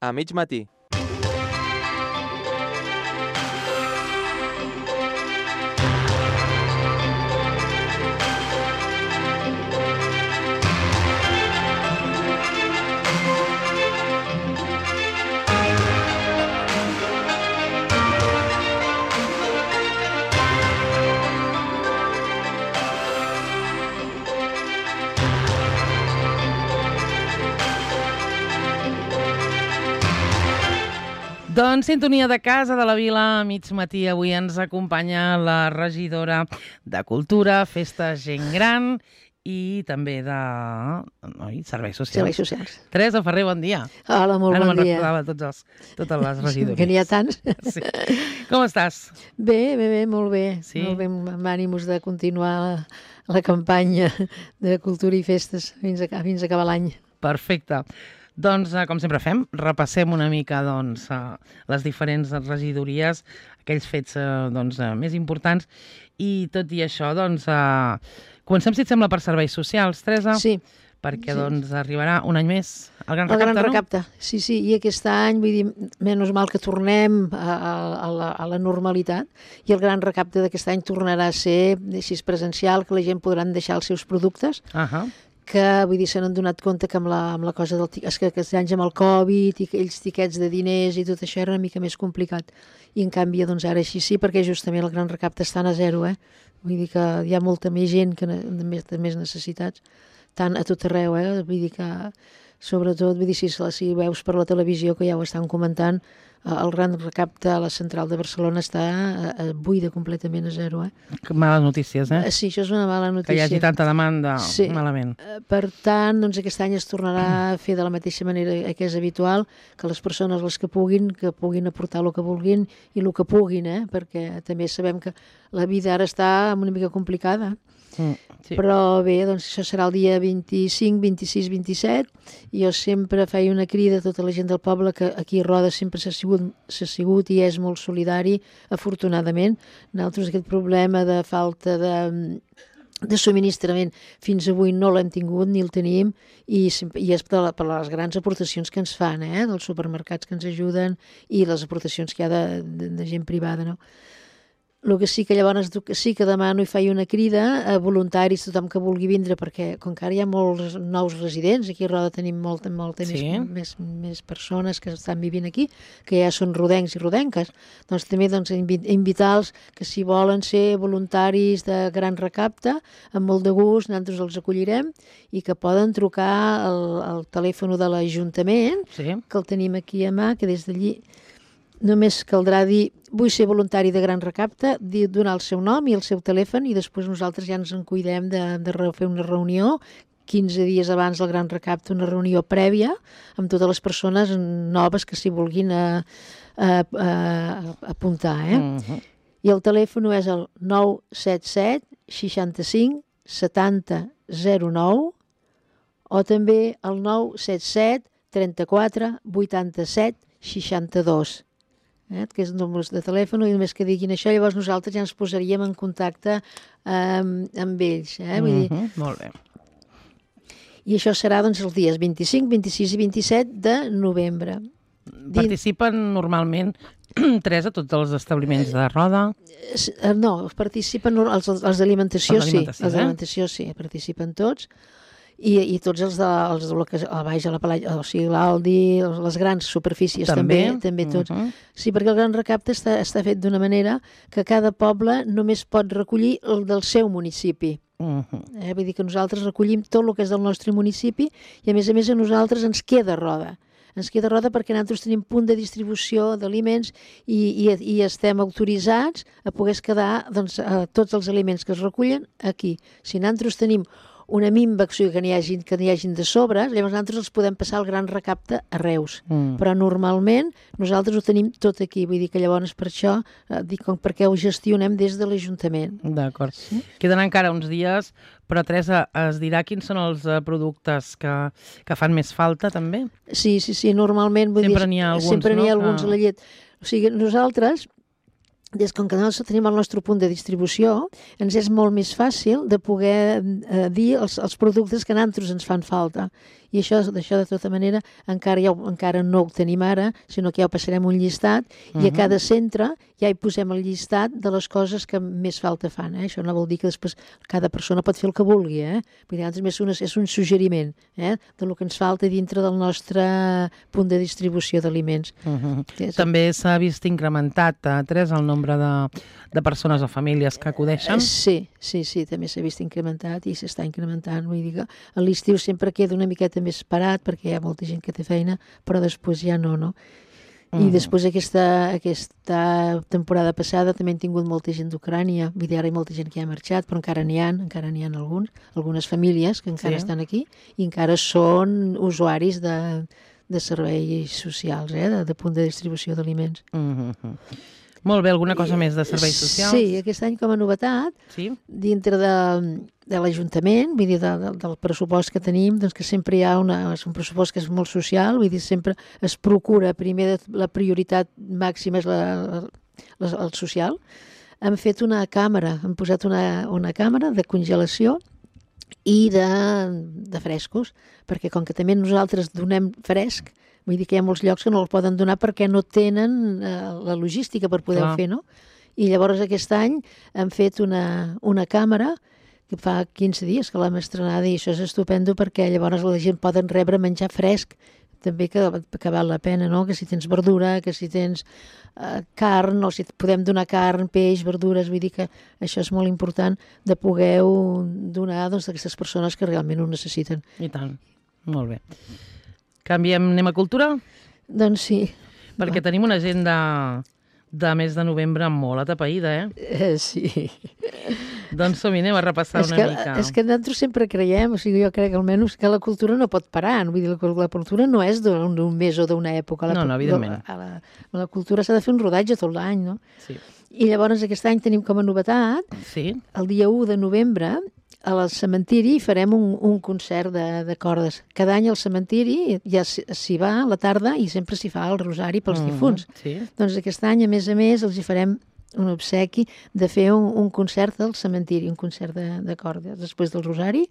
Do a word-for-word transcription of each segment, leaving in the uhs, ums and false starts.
a mig matí. Doncs sintonia de casa de la Vila, a mig matí. Avui ens acompanya la regidora de Cultura, Festes, Gent Gran i també de oi, Serveis Socials. Serveis Socials. Teresa Ferrer, bon dia. Hola, molt Ara bon dia. Ara me'n recordava tots els, totes les regidories. Que n'hi ha tants. Sí. Com estàs? Bé, bé, bé, molt bé. Sí? Molt bé, amb ànims de continuar la, la campanya de Cultura i Festes fins a, fins a acabar l'any. Perfecte. Doncs, com sempre fem, repassem una mica doncs, les diferents regidories, aquells fets doncs, més importants, i tot i això, doncs, comencem, si et sembla, per Serveis Socials, Teresa? Sí. Perquè sí. doncs, arribarà un any més el Gran el Recapte, Gran no? Recapte, sí, sí, i aquest any, vull dir, menys mal que tornem a, a, la, a la normalitat, i el Gran Recapte d'aquest any tornarà a ser així presencial, que la gent podran deixar els seus productes, uh-huh. que, vull dir, se n'han donat compte que amb la, amb la cosa del... És que aquests anys amb el Covid i aquells tiquets de diners i tot això era una mica més complicat. I en canvi, doncs ara així sí, perquè justament el Gran Recapte estan a zero, eh? Vull dir que hi ha molta més gent que de més, de més necessitats, tant a tot arreu, eh? Vull dir que, sobretot, vull dir, si, si veus per la televisió, que ja ho estan comentant, el Gran Recapte a la central de Barcelona està a, a buida completament a zero, eh? Que males notícies, eh? Sí, això és una mala notícia. Que hi hagi tanta demanda, sí. malament. Per tant, doncs aquest any es tornarà a fer de la mateixa manera que és habitual, que les persones, les que puguin, que puguin aportar el que vulguin i el que puguin, eh? Perquè també sabem que la vida ara està una mica complicada. Mm, sí. Però bé, doncs això serà el dia vint-i-cinc, vint-i-sis, vint-i-set, i jo sempre feia una crida a tota la gent del poble, que aquí a Roda sempre s'ha sigut, s'ha sigut i és molt solidari, afortunadament. Nosaltres aquest problema de falta de, de subministrament fins avui no l'hem tingut ni el tenim, i, i és per, per les grans aportacions que ens fan, eh? Dels supermercats que ens ajuden i les aportacions que hi ha de, de, de gent privada, no? El que sí que llavors sí que demano i faig una crida a voluntaris, tothom que vulgui vindre, perquè com que ara hi ha molts nous residents, aquí a Roda tenim molta, molta sí. més, més, més persones que estan vivint aquí, que ja són rodencs i rodenques, doncs també doncs, invitar-los que si volen ser voluntaris de Gran Recapte, amb molt de gust, nosaltres els acollirem, i que poden trucar al, al telèfon de l'Ajuntament, sí. que el tenim aquí a mà, que des d'allí només caldrà dir vull ser voluntari de Gran Recapte, dir, donar el seu nom i el seu telèfon, i després nosaltres ja ens en cuidem de, de fer una reunió quinze dies abans del Gran Recapte, una reunió prèvia amb totes les persones noves que s'hi vulguin a, a, a, a apuntar. Eh? Uh-huh. I el telèfon és el nou set set seixanta-cinc setanta zero nou o també el nou set set trenta-quatre vuitanta-set seixanta-dos. Eh, que és números de telèfon, i només que diguin això, llavors nosaltres ja ens posaríem en contacte amb, amb ells. Eh? Vull dir... uh-huh, molt bé. I això serà doncs, els dies vint-i-cinc, vint-i-sis i vint-i-set de novembre. Participen normalment, Teresa, tots els establiments de Roda? No, participen els, els d'alimentació, sí. Els eh? d'alimentació, sí, participen tots. I, i tots els de, els de lo que, a baix a la Palalla, o sigui, l'Aldi, les grans superfícies també, també, també tots. Uh-huh. Sí, perquè el Gran Recapte està, està fet d'una manera que cada poble només pot recollir el del seu municipi. Uh-huh. Eh, vull dir que nosaltres recollim tot el que és del nostre municipi i a més a més a nosaltres ens queda Roda. Ens queda Roda perquè nosaltres tenim punt de distribució d'aliments i, i, i estem autoritzats a poder quedar doncs, a tots els aliments que es recullen aquí. Si nosaltres tenim una minva, o sigui, que n'hi hagi, que n'hi hagin de sobres, llavors nosaltres els podem passar al Gran Recapte a Reus. Mm. Però normalment nosaltres ho tenim tot aquí, vull dir que llavors per això, eh, dic, perquè ho gestionem des de l'Ajuntament. D'acord. Sí? Queden encara uns dies, però Teresa, es dirà quins són els uh, productes que, que fan més falta també? Sí, sí, sí, normalment... Vull sempre dir, n'hi ha alguns, sempre n'hi ha no? alguns que... a la llet. O sigui, nosaltres... Des que nosaltres tenim el nostre punt de distribució, ens és molt més fàcil de poder eh, dir els, els productes que a nosaltres ens fan falta. I això, d'això, de tota manera, encara, ja, encara no ho tenim ara, sinó que ja ho passarem un llistat, uh -huh. i a cada centre ja hi posem el llistat de les coses que més falta fan. Eh? Això no vol dir que després cada persona pot fer el que vulgui. Eh? Vull dir, és un, és un suggeriment eh? del que ens falta dintre del nostre punt de distribució d'aliments. Uh -huh. També s'ha vist incrementat, eh, Teresa, el nombre de, de persones o famílies que acudeixen? Sí, sí, sí, també s'ha vist incrementat i s'està incrementant. Vull dir que a l'estiu sempre queda una miqueta més parat perquè hi ha molta gent que té feina, però després ja no, no? I després aquesta, aquesta temporada passada també hem tingut molta gent d'Ucrània, vull dir, ara hi ha molta gent que ja ha marxat, però encara n'hi ha, encara n'hi ha alguns, algunes famílies que encara sí. estan aquí i encara són usuaris de, de serveis socials, eh, de, de punt de distribució d'aliments. Mm-hmm. Molt bé, alguna cosa més de serveis socials? Sí, aquest any com a novetat, sí? dintre de, de l'Ajuntament, vull dir, de, de, del pressupost que tenim, doncs que sempre hi ha una, un pressupost que és molt social, vull dir, sempre es procura, primer la prioritat màxima és la, la, el social. Hem fet una càmera, hem posat una, una càmera de congelació i de, de frescos, perquè com que també nosaltres donem fresc, vull dir que hi ha molts llocs que no el poden donar perquè no tenen eh, la logística per poder-ho fer, no? I llavors aquest any hem fet una, una càmera que fa quinze dies que l'hem estrenada i això és estupendo perquè llavors la gent poden rebre menjar fresc, també que, que val la pena, no? Que si tens verdura, que si tens eh, carn, o si podem donar carn, peix, verdures, vull dir que això és molt important de poder donar doncs, a aquestes persones que realment ho necessiten. I tant, molt bé. Canviem, anem a cultura? Doncs sí. Perquè tenim una agenda de mes de novembre molt atapeïda, eh? eh sí. Doncs som-hi, anem a repassar és una que, mica. És que nosaltres sempre creiem, o sigui, jo crec almenys que la cultura no pot parar, vull dir, la, la cultura no és d'un mes o d'una època. La, no, no, evidentment. La, la, la cultura s'ha de fer un rodatge tot l'any, no? Sí. I llavors aquest any tenim com a novetat, sí. el dia u de novembre, al cementiri farem un, un concert de, de cordes. Cada any al cementiri ja s'hi va a la tarda i sempre s'hi fa el rosari pels mm, difunts. Sí. Doncs aquest any, a més a més, els hi farem un obsequi de fer un, un concert del cementiri, un concert de, de cordes. Després del rosari,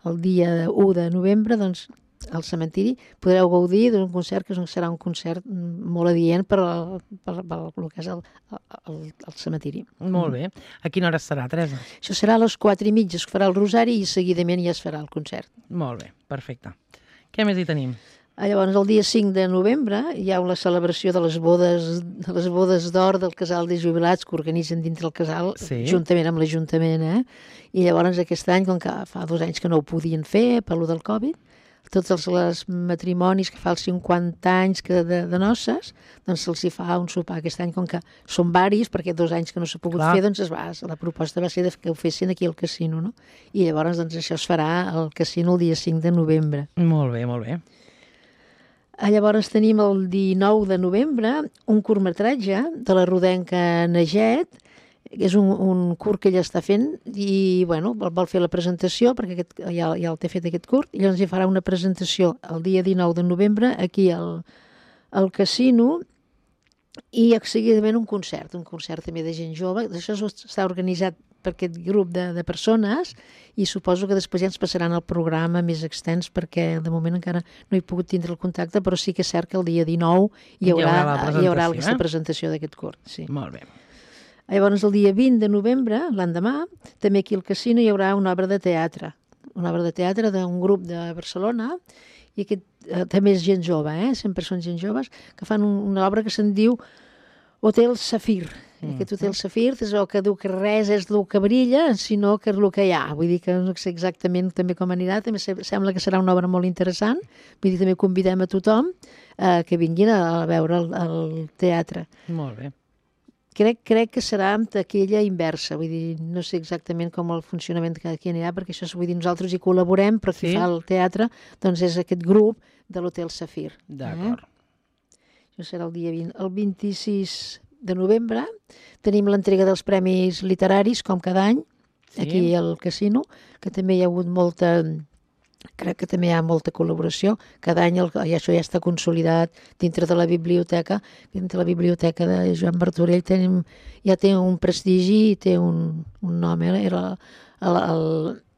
el dia u de novembre, doncs, al cementiri podreu gaudir d'un concert que serà un concert molt adient per, al, per, per, per el que és el, el, el cementiri. Molt bé. A quina hora serà, Teresa? Això serà a les quatre i mitja, es farà el rosari i seguidament ja es farà el concert. Molt bé, perfecte. Què més hi tenim? Llavors, el dia cinc de novembre hi ha la celebració de les bodes de les bodes d'or del casal de jubilats que organitzen dintre el casal, sí. juntament amb l'Ajuntament. Eh? I llavors aquest any, com que fa dos anys que no ho podien fer per lo del Covid, tots els, els matrimonis que fa els cinquanta anys que de, de noces, doncs se'ls hi fa un sopar. Aquest any, com que són varis, perquè dos anys que no s'ha pogut Clar. fer, doncs es va, la proposta va ser de que ho fessin aquí al casino, no? I llavors doncs, això es farà al casino el dia cinc de novembre. Molt bé, molt bé. Llavors tenim el dinou de novembre un curtmetratge de la rodenca Neget, és un, un curt que ella està fent i, bueno, vol, vol fer la presentació perquè aquest, ja, ja el té fet aquest curt i llavors hi farà una presentació el dia dinou de novembre aquí al, al casino i seguidament un concert, un concert també de gent jove. Això està organitzat per aquest grup de, de persones i suposo que després ja ens passaran el programa més extens perquè de moment encara no he pogut tindre el contacte, però sí que és cert que el dia dinou hi haurà, hi haurà, hi haurà aquesta eh? presentació d'aquest curt. Sí. Molt bé. Llavors, el dia vint de novembre, l'endemà, també aquí al casino hi haurà una obra de teatre. Una obra de teatre d'un grup de Barcelona, i aquest eh, també és gent jove, eh? sempre són gent joves, que fan un, una obra que se'n diu Hotel Safir. Mm. Aquest Hotel Safir és el que diu que res és el que brilla, sinó que és el que hi ha. Vull dir que no sé exactament també com anirà, també sembla que serà una obra molt interessant, vull dir també convidem a tothom eh, que vinguin a veure el, el teatre. Molt bé. Crec, crec que serà amb taquilla inversa, vull dir, no sé exactament com el funcionament que aquí anirà, perquè això, vull dir, nosaltres hi col·laborem, però qui sí? fa el teatre, doncs és aquest grup de l'Hotel Safir. D'acord. Eh? Això serà el dia vint. El vint-i-sis de novembre tenim l'entrega dels premis literaris, com cada any, sí? aquí al casino, que també hi ha hagut molta... Crec que també hi ha molta col·laboració. Cada any el, i això ja està consolidat dintre de la biblioteca. Dintre de la biblioteca de Joan Martorell tenim, ja té un prestigi i té un, un nom. Eh? Era el, el,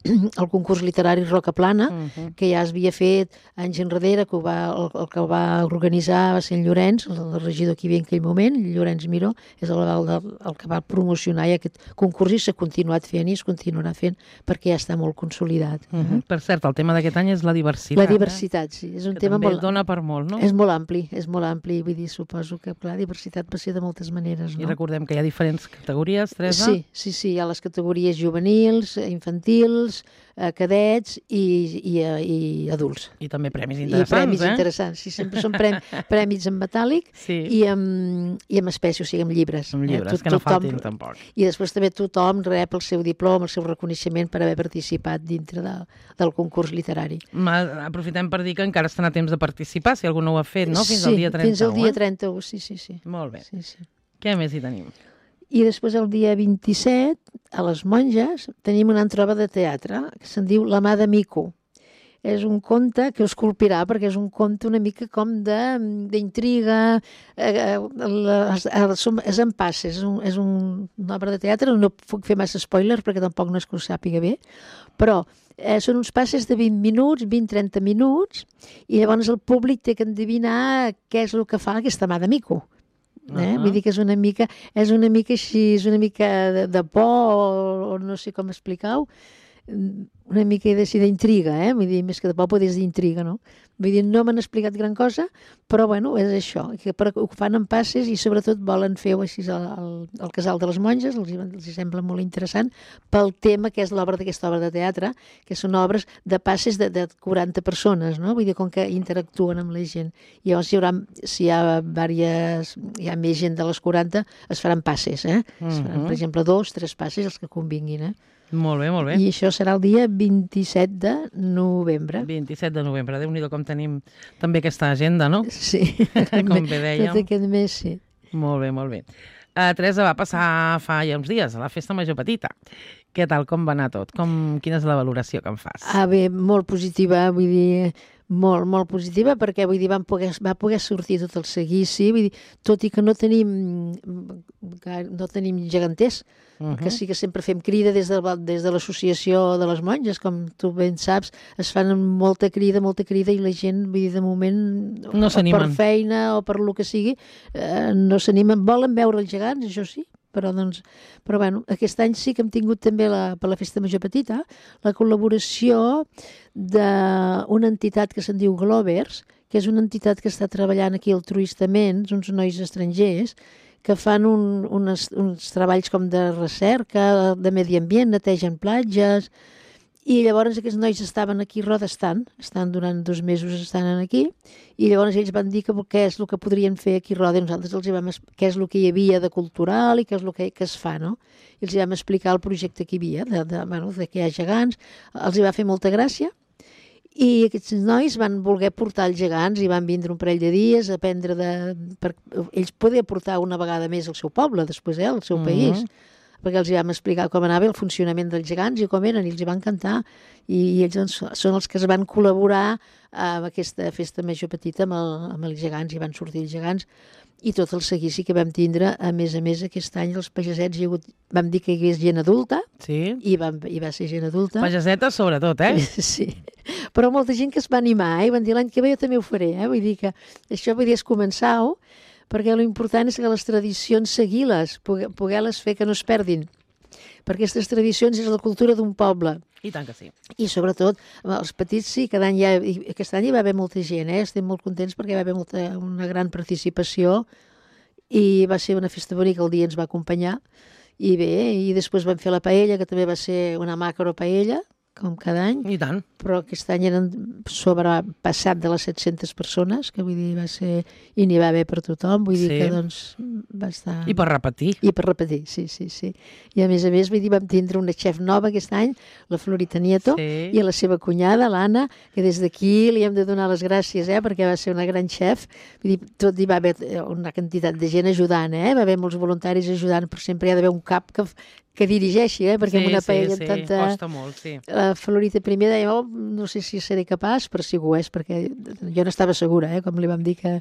el concurs literari Roca Plana, uh -huh. que ja es havia fet anys enrere, que va, el, el que el va organitzar va ser en Llorenç, el, el regidor que hi havia en aquell moment, Llorenç Miró, és el, el, el que va promocionar ja aquest concurs i s'ha continuat fent i es continuarà fent perquè ja està molt consolidat. Uh -huh. Per cert, el tema d'aquest any és la diversitat. La diversitat, eh? sí. És un que tema també molt... dona per molt, no? És molt ampli, és molt ampli, vull dir, suposo que, clar, diversitat pot ser de moltes maneres, no? I recordem que hi ha diferents categories, Teresa? Sí, sí, sí, hi ha les categories juvenils, infantils, eh, cadets i, i, i adults. I també premis interessants, I premis eh? interessants, sí, sempre són prem, premis en metàl·lic sí. i, amb, i amb espècie, o sigui, amb llibres. Amb llibres, eh? Tot, que no tothom, faltin tampoc. I després també tothom rep el seu diploma, el seu reconeixement per haver participat dintre de, del concurs literari. Ma, aprofitem per dir que encara estan a temps de participar, si algú no ho ha fet, no? Fins sí, al dia trenta-u, fins al dia eh? trenta-u, sí, sí, sí. Molt bé. Sí, sí. Què més hi tenim? I després el dia vint-i-set, a les Monges, tenim una altra obra de teatre que se'n diu La mà de Mico. És un conte que us colpirà perquè és un conte una mica com d'intriga, eh, és en passes, és, un, és un, una obra de teatre, no puc fer massa spoilers perquè tampoc no és que ho sàpiga bé, però eh, són uns passes de vint minuts, vint a trenta minuts, i llavors el públic té que endevinar què és el que fa aquesta mà de Mico. Eh? Uh -huh. Vull dir que és una mica, és una mica així, és una mica de, de por o, o no sé com explicar-ho, una mica d'intriga, eh? Vull dir, més que de por, però és d'intriga, no? Vull dir, no m'han explicat gran cosa, però bueno, és això, que ho fan en passes i sobretot volen fer-ho així al, al Casal de les Monges, els, els sembla molt interessant, pel tema que és l'obra d'aquesta obra de teatre, que són obres de passes de, de quaranta persones, no? Vull dir, com que interactuen amb la gent. I llavors hi haurà, si hi ha diverses, hi ha més gent de les quaranta, es faran passes, eh? Es faran, per exemple, dos, tres passes, els que convinguin, eh? Molt bé, molt bé. I això serà el dia vint-i-set de novembre. vint-i-set de novembre. Déu-n'hi-do com tenim també aquesta agenda, no? Sí. Com bé dèiem. Tot aquest mes, sí. Molt bé, molt bé. Uh, Teresa, va passar fa ja uns dies a la Festa Major Petita. Què tal, com va anar tot? Com, quina és la valoració que en fas? Ah, bé, molt positiva, vull dir, molt, molt positiva, perquè vull dir, van poder, va poder sortir tot el seguici, vull dir, tot i que no tenim, no tenim geganters, uh -huh. que sí que sempre fem crida des de, des de l'associació de les monges, com tu ben saps, es fan molta crida, molta crida, i la gent, vull dir, de moment, no per feina o per lo que sigui, eh, no s'animen, volen veure els gegants, això sí, però, doncs, però bueno, aquest any sí que hem tingut també la, per la Festa Major Petita la col·laboració d'una entitat que se'n diu Glovers, que és una entitat que està treballant aquí altruistament, uns nois estrangers, que fan un, unes, uns treballs com de recerca, de medi ambient, netegen platges, i llavors aquests nois estaven aquí a Roda, estan, estan durant dos mesos estan aquí, i llavors ells van dir que què és el que podrien fer aquí a Roda, i nosaltres els vam explicar què és el que hi havia de cultural i què és el que, que es fa, no? I els vam explicar el projecte que hi havia, de, de, bueno, de que hi ha gegants, els hi va fer molta gràcia, i aquests nois van voler portar els gegants i van vindre un parell de dies a aprendre de... Per, ells podien portar una vegada més al seu poble, després, eh, al seu uh-huh. país, perquè els hi vam explicar com anava el funcionament dels gegants i com eren, i els hi va encantar. I, i ells doncs, són els que es van col·laborar amb aquesta Festa Major Petita amb, el, amb els gegants, i van sortir els gegants, i tot el seguici que vam tindre, a més a més, aquest any els pagesets, hi ha hagut, vam dir que hi hagués gent adulta, sí. i, vam, i va ser gent adulta. Pagesetes sobretot, eh? Sí, però molta gent que es va animar, eh? I van dir l'any que ve jo també ho faré, eh? Vull dir que això vull dir és començar-ho, perquè l'important és que les tradicions seguir-les, poder-les fer que no es perdin, perquè aquestes tradicions és la cultura d'un poble. I tant que sí. I sobretot, els petits sí, cada any ja, aquest any hi va haver molta gent, eh? Estem molt contents perquè hi va haver molta, una gran participació i va ser una festa bonica, el dia ens va acompanyar, i bé, i després vam fer la paella, que també va ser una macro paella, com cada any. I tant. Però aquest any eren sobrepassat de les set-centes persones, que vull dir, va ser... I n'hi va haver per tothom, vull dir sí. que doncs va estar... I per repetir. I per repetir, sí, sí, sí. I a més a més, vull dir, vam tindre una xef nova aquest any, la Florita Nieto, sí. i a la seva cunyada, l'Anna, que des d'aquí li hem de donar les gràcies, eh, perquè va ser una gran xef. Vull dir, tot hi va haver una quantitat de gent ajudant, eh? Va haver molts voluntaris ajudant, però sempre hi ha d'haver un cap que... que dirigeixi, eh? Perquè sí, amb una paella sí, amb tanta... Sí, costa molt, sí. La Florita primer deia, oh, no sé si seré capaç, però sí que ho és, perquè jo no estava segura, eh? Com li vam dir que,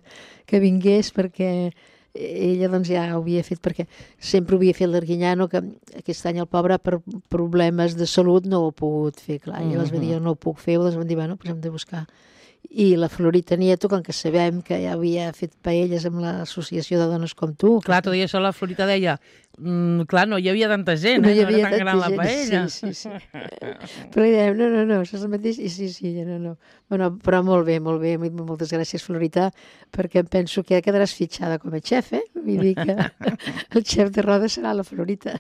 que vingués, perquè ella doncs ja ho havia fet perquè sempre ho havia fet l'Arguinyano, que aquest any el pobre per problemes de salut no ho ha pogut fer, clar, i llavors va dir, no ho puc fer, llavors van dir, bueno, doncs hem de buscar. I la Florita Nieto, com que sabem que ja havia fet paelles amb l'associació de dones com tu. Clar, tot i això la Florita deia, mm, clar, no hi havia tanta gent, no eh? hi havia no era tan gran tanta la paella. gent, sí, sí, sí. Però li dèiem, no, no, no, això és el mateix, i sí, sí, no, no. Bueno, però molt bé, molt bé, moltes gràcies, Florita, perquè em penso que quedaràs fitxada com a xef, eh? Vull dir que el xef de roda serà la Florita.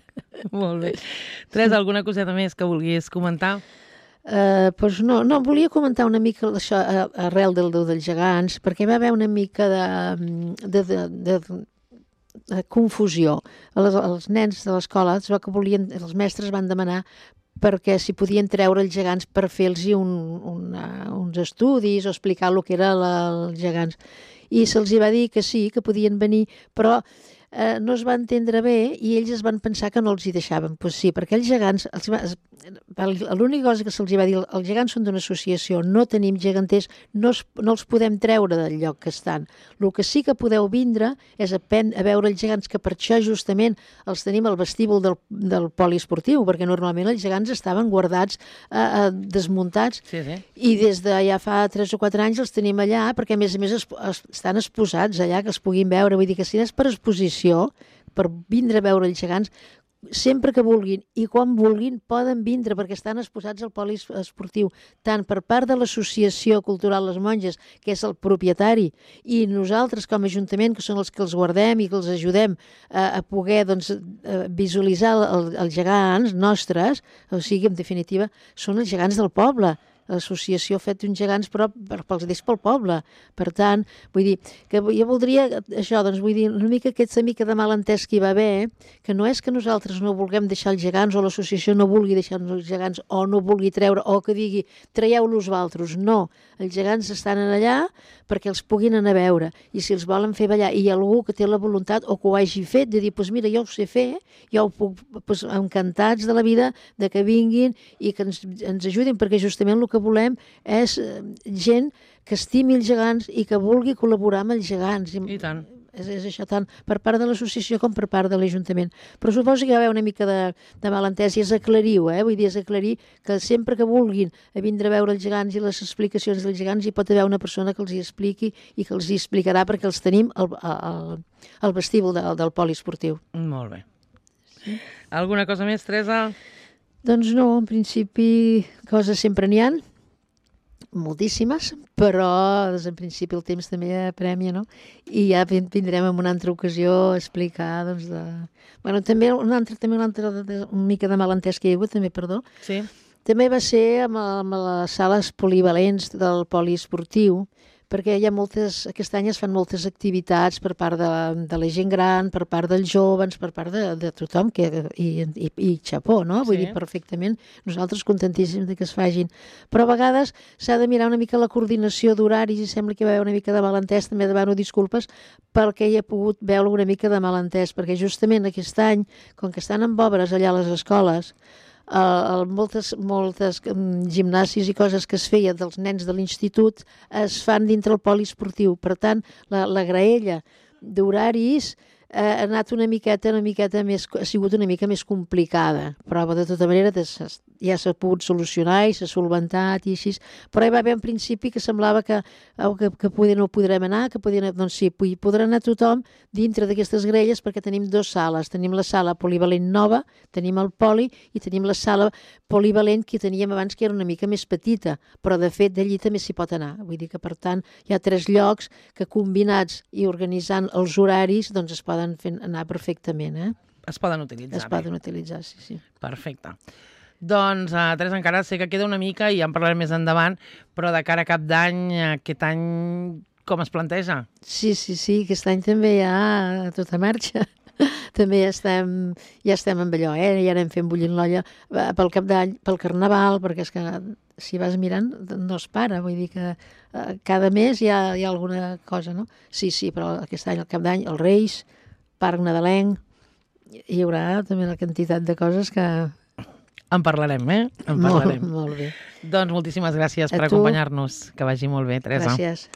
Molt bé. Teresa, alguna coseta més que vulguis comentar? Uh, doncs no, no, volia comentar una mica això uh, arrel del Déu dels Gegants, perquè va haver una mica de, de, de, de, de confusió. Els, els nens de l'escola, que volien, els mestres van demanar perquè si podien treure els gegants per fer-los un, una, uns estudis o explicar el que era la, els gegants. I se'ls va dir que sí, que podien venir, però eh, no es va entendre bé i ells es van pensar que no els hi deixaven. Doncs pues sí, perquè els gegants, els, l'única cosa que se'ls va dir, els gegants són d'una associació, no tenim geganters, no, es, no els podem treure del lloc que estan. El que sí que podeu vindre és a, pen, a veure els gegants, que per això justament els tenim al vestíbul del, del poliesportiu, perquè normalment els gegants estaven guardats, eh, eh, desmuntats, sí, sí. I des de ja fa tres o quatre anys els tenim allà, perquè a més a més es, es, estan exposats allà, que els puguin veure. Vull dir que si és per exposició, per vindre a veure els gegants, sempre que vulguin i quan vulguin poden vindre perquè estan exposats al poli esportiu, tant per part de l'Associació Cultural Les Monges, que és el propietari, i nosaltres com a Ajuntament, que són els que els guardem i que els ajudem a, a poder doncs, a visualitzar el, els gegants nostres, o sigui, en definitiva, són els gegants del poble. L'associació ha fet uns gegants però pels deix pel poble. Per tant, vull dir, que jo voldria això, doncs vull dir, una mica aquesta mica de malentès que hi va haver, que no és que nosaltres no vulguem deixar els gegants o l'associació no vulgui deixar els gegants o no vulgui treure o que digui traieu-los vosaltres. No, els gegants estan allà perquè els puguin anar a veure i si els volen fer ballar i hi ha algú que té la voluntat o que ho hagi fet de dir, doncs pues mira, jo ho sé fer, jo ho puc, pues, encantats de la vida de que vinguin i que ens, ens ajudin, perquè justament el que volem és gent que estimi els gegants i que vulgui col·laborar amb els gegants. I tant. És, és això tant per part de l'associació com per part de l'Ajuntament. Però suposo que hi va haver una mica de, de malentès i és aclarir-ho, eh? Vull dir, és aclarir que sempre que vulguin a vindre a veure els gegants i les explicacions dels gegants hi pot haver una persona que els hi expliqui i que els hi explicarà perquè els tenim al, al, al vestíbul de, del poliesportiu. Molt bé. Sí. Alguna cosa més, Teresa? Doncs no, en principi coses sempre n'hi ha, moltíssimes, però doncs, en principi el temps també apremia, no? I ja vindrem en una altra ocasió a explicar, doncs, de... Bueno, també una altra, també una altra, una mica de malentès que hi ha hagut, també, perdó. Sí. També va ser amb, amb les sales polivalents del poliesportiu, perquè hi ha moltes, aquest any es fan moltes activitats per part de, de la gent gran, per part dels joves, per part de, de tothom, que, i, i, i xapó, no? Vull sí. dir, perfectament, nosaltres contentíssims de que es fagin. Però a vegades s'ha de mirar una mica la coordinació d'horaris i sembla que hi va haver una mica de malentès, també demano disculpes perquè hi ha pogut veure una mica de malentès, perquè justament aquest any, com que estan amb obres allà a les escoles, Uh, moltes, moltes um, gimnasis i coses que es feia dels nens de l'institut es fan dintre el poliesportiu. Per tant, la, la graella d'horaris eh, ha anat una miqueta, una miqueta més, ha sigut una mica més complicada, però de tota manera ja s'ha pogut solucionar i s'ha solventat i així, però hi va haver en principi que semblava que, oh, que, que poder, no podrem anar, que podien, doncs sí, podrà anar tothom dintre d'aquestes grelles perquè tenim dues sales, tenim la sala polivalent nova, tenim el poli i tenim la sala polivalent que teníem abans que era una mica més petita, però de fet d'allí també s'hi pot anar, vull dir que per tant hi ha tres llocs que combinats i organitzant els horaris doncs es poden fer anar perfectament, eh? Es poden utilitzar. Es poden utilitzar, sí, sí. Perfecte. Doncs, uh, Teresa, encara sé que queda una mica i ja en parlarem més endavant, però de cara a cap d'any, aquest any, com es planteja? Sí, sí, sí, aquest any també hi ha tota marxa. També ja estem, ja estem amb allò, eh? Ja anem fent bullint l'olla pel cap d'any, pel carnaval, perquè és que si vas mirant no es para, vull dir que uh, cada mes hi ha, hi ha alguna cosa, no? Sí, sí, però aquest any, al cap d'any, els Reis, Parc Nadalenc, hi haurà també una quantitat de coses que... En parlarem, eh? En parlarem. Molt, molt bé. Doncs moltíssimes gràcies a per tu. acompanyar-nos. Que vagi molt bé, Teresa. Gràcies.